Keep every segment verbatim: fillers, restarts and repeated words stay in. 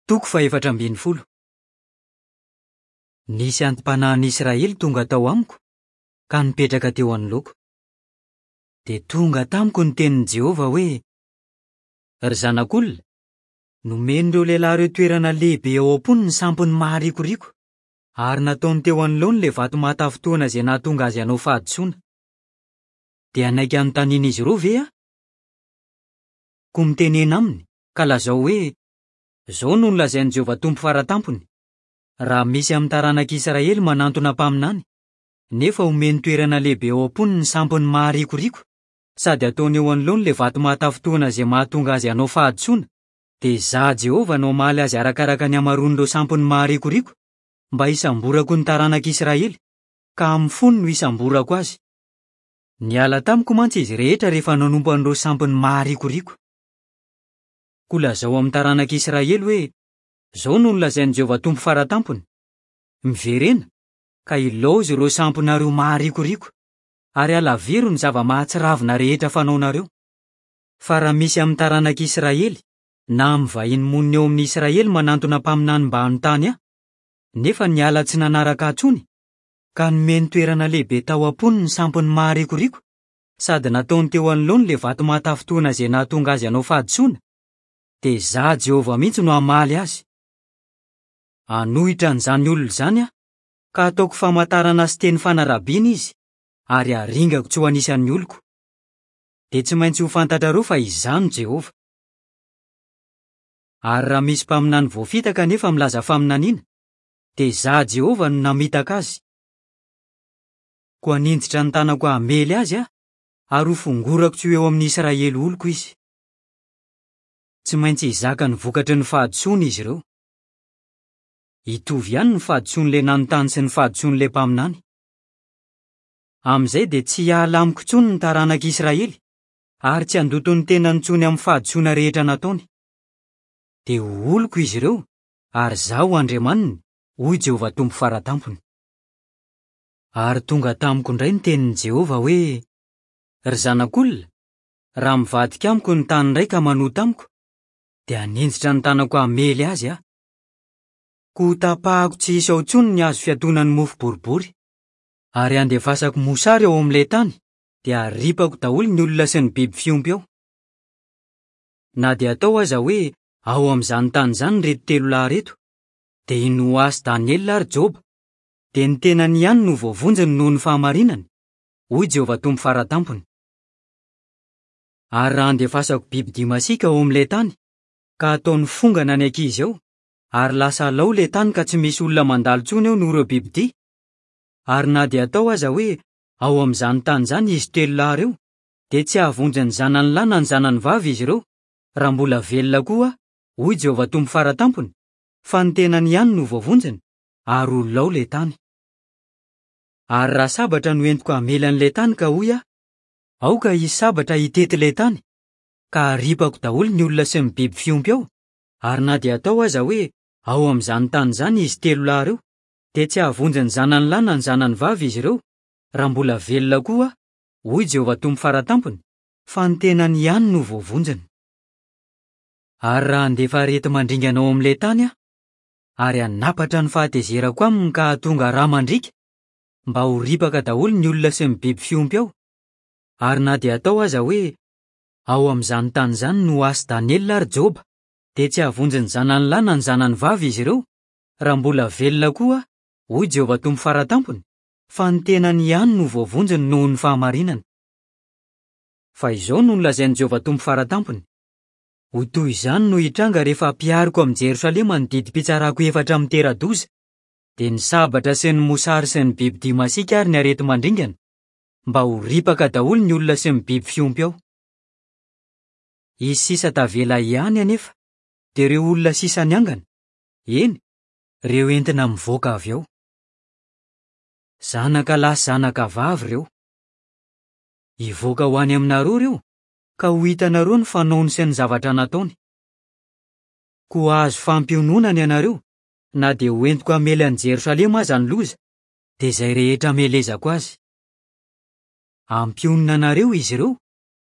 Toko fahefatra ambin'ny folo. Nisy anti-panahin'ny Israely tonga tao amiko ka nipetraka teo anoloako. Dia tonga tamiko ny tenin'i Jehovah hoe: "Ry zanak'olona, nomen'ireo lehilahy ireo toerana lehibe ao am-pony ny sampiny maharikoriko, ary nataony teo anoloany ilay vato mahatafintohina izay nahatonga azy hanao fahadisoana. Dia hanaiky hanontanian'izy ireo ve aho? Koa mitenena aminy ka lazao hoe: Izao no nolazain'i Jehovah Tompo Faratampony: Raha misy amin'ny taranak'Israely manantona mpaminany, nefa omeny toerana lehibe ao am-pony ny sampiny maharikoriko, sady ataony eo anoloany ilay vato mahatafintohina izay mahatonga azy hanao fahadisoana, dia izaho Jehovah no hamaly azy arakaraka ny hamaroan'ireo sampiny maharikoriko, mba hisamborako ny taranak'Israely, ka amin'ny fony no hisamborako azy. Niala tamiko mantsy izy rehetra rehefa nanompo an'ireo sampiny maharikoriko. Koa lazao amin'ny taranak'Israely hoe: Izao no nolazain'i Jehovah Tompo Faratampony: Miverena, ka ilaozy ireo sampinareo maharikoriko, ary alaviro ny zava-mahatsiravina rehetra fanaonareo. Fa raha misy amin'ny taranak'Israely na amin'ny vahiny monina eo amin'ny Israely manantona mpaminany mba hanontany ahy, nefa niala tsy nanaraka ahy intsony, ka nomeny toerana lehibe tao am-pony ny sampiny maharikoriko, sady nataony teo anoloany ilay vato mahatafintohina izay nahatonga azy hanao fahadisoana, dia izaho Jehovah mihitsy no hamaly azy. Hanohitra an'izany olona izany aho, ka hataoko famantarana sy teny fanarabiana izy, ary haringako tsy ho anisan'ny oloko. Dia tsy maintsy ho fantatrareo fa izaho no Jehovah. Ary raha misy mpaminany voafitaka nefa milaza faminaniana, dia izaho Jehovah no namitaka azy. Koa haninjitra ny tanako hamely azy aho, ary ho fongorako tsy ho eo amin'ny Israely oloko izy. Tsy maintsy hizaka ny vokatry ny fahadisoana izy ireo. Hitovy ihany ny fahadisoan'ilay nanontany sy ny fahadisoan'ilay mpaminany. Amin'izay dia tsy hiala amiko intsony ny taranak'Israely, ary tsy handoto ny tenany intsony amin'ny fahadisoana rehetra nataony. Dia ho oloko izy ireo, ary izaho ho Andriamaniny, hoy Jehovah Tompo Faratampony. Ary tonga tamiko indray ny tenin'i Jehovah hoe: Ry zanak'olona, raha mivadika amiko ny tany iray ka manota amiko, dia haninjitra ny tanako hamely azy aho. Koa hotapahako tsy hisy ao intsony ny hazo fiatoana ny mofo boribory, ary handefasako mosary ao amin'ilay tany, dia haripako daholo ny olona sy ny biby fiompy ao. Na dia atao aza hoe ao amin'izany tany izany ireto telo lahy ireto, dia i Noa sy Daniela ary Joba, dia ny tenany ihany no voavonjiny noho ny fahamarinany, hoy Jehovah Tompo Faratampony. Ary raha handefasako biby masiaka ao amin'ilay tany, ka ataony fongana ny ankizy ao, ary lasa lao ilay tany ka tsy misy olona mandalo intsony eo noho ireo bibidia, ary na dia atao aza hoe ao amin'izany tany izany izy telo lahy ireo, dia tsy hahavonjy ny zanany lahy na ny zanany vavy izy ireo, raha mbola velona koa aho, hoy Jehovah Tompo Faratampony, fa ny tenany ihany no voavonjiny, ary ho lao ilay tany. Ary raha sabatra no entiko hamely an'ilay tany ka hoy aho: Aoka hisy sabatra hitety ilay tany, ka haripako daholo ny olona sy ny biby fiompy ao, ary na dia atao aza hoe ao amin'izany tany izany izy telo lahy ireo, dia tsy hahavonjy ny zanany lahy na ny zanany vavy izy ireo, raha mbola velona koa aho, hoy Jehovah Tompo Faratampony, fa ny tenany ihany no voavonjiny. Ary raha handefa areti-mandringana ao amin'ilay tany aho, ary hanapatra ny fahatezerako aminy ka hahatonga rà mandriaka, mba ho ripaka daholo ny olona sy ny biby fiompy ao, ary na dia atao aza hoe ao amin'izany tany izany Noa sy Daniela ary Joba, dia tsy hahavonjy ny zanany lahy na ny zanany vavy izy ireo, raha mbola velona koa aho, hoy Jehovah Tompo Faratampony, fa ny tenany ihany no voavonjiny noho ny fahamarinany. Fa izao no nolazain'i Jehovah Tompo Faratampony: Ho toy izany no hitranga rehefa ampihariko amin'i Jerosalema ny didim-pitsarako efatra mitera-doza, dia ny sabatra sy ny mosary sy ny bibidia masiaka ary ny areti-mandringana, mba ho ripaka daholo ny olona sy ny biby fiompy ao. Hisy sisa tavela ihany anefa, dia ireo olona sisa niangana, eny, ireo entina mivoaka avy ao. Zanaka lahy sy zanaka vavy ireo. Hivoaka ho any aminareo ireo, ka ho hitanareo ny fanaony sy ny zavatra nataony. Koa hahazo fampiononana ianareo, na dia ho entiko hamely an'i Jerosalema aza ny loza, dia izay rehetra hamelezako azy. Hampionona anareo izy ireo,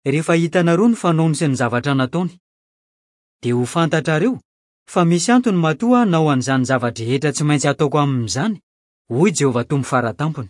rehefa hitanareo ny fanaony sy ny zavatra nataony. Dia ho fantatrareo Fa misy antony matoa hanao an'izany zava-drehetra tsy maintsy ataoko amin'izany, hoy Jehovah Tompo Fara Tampony.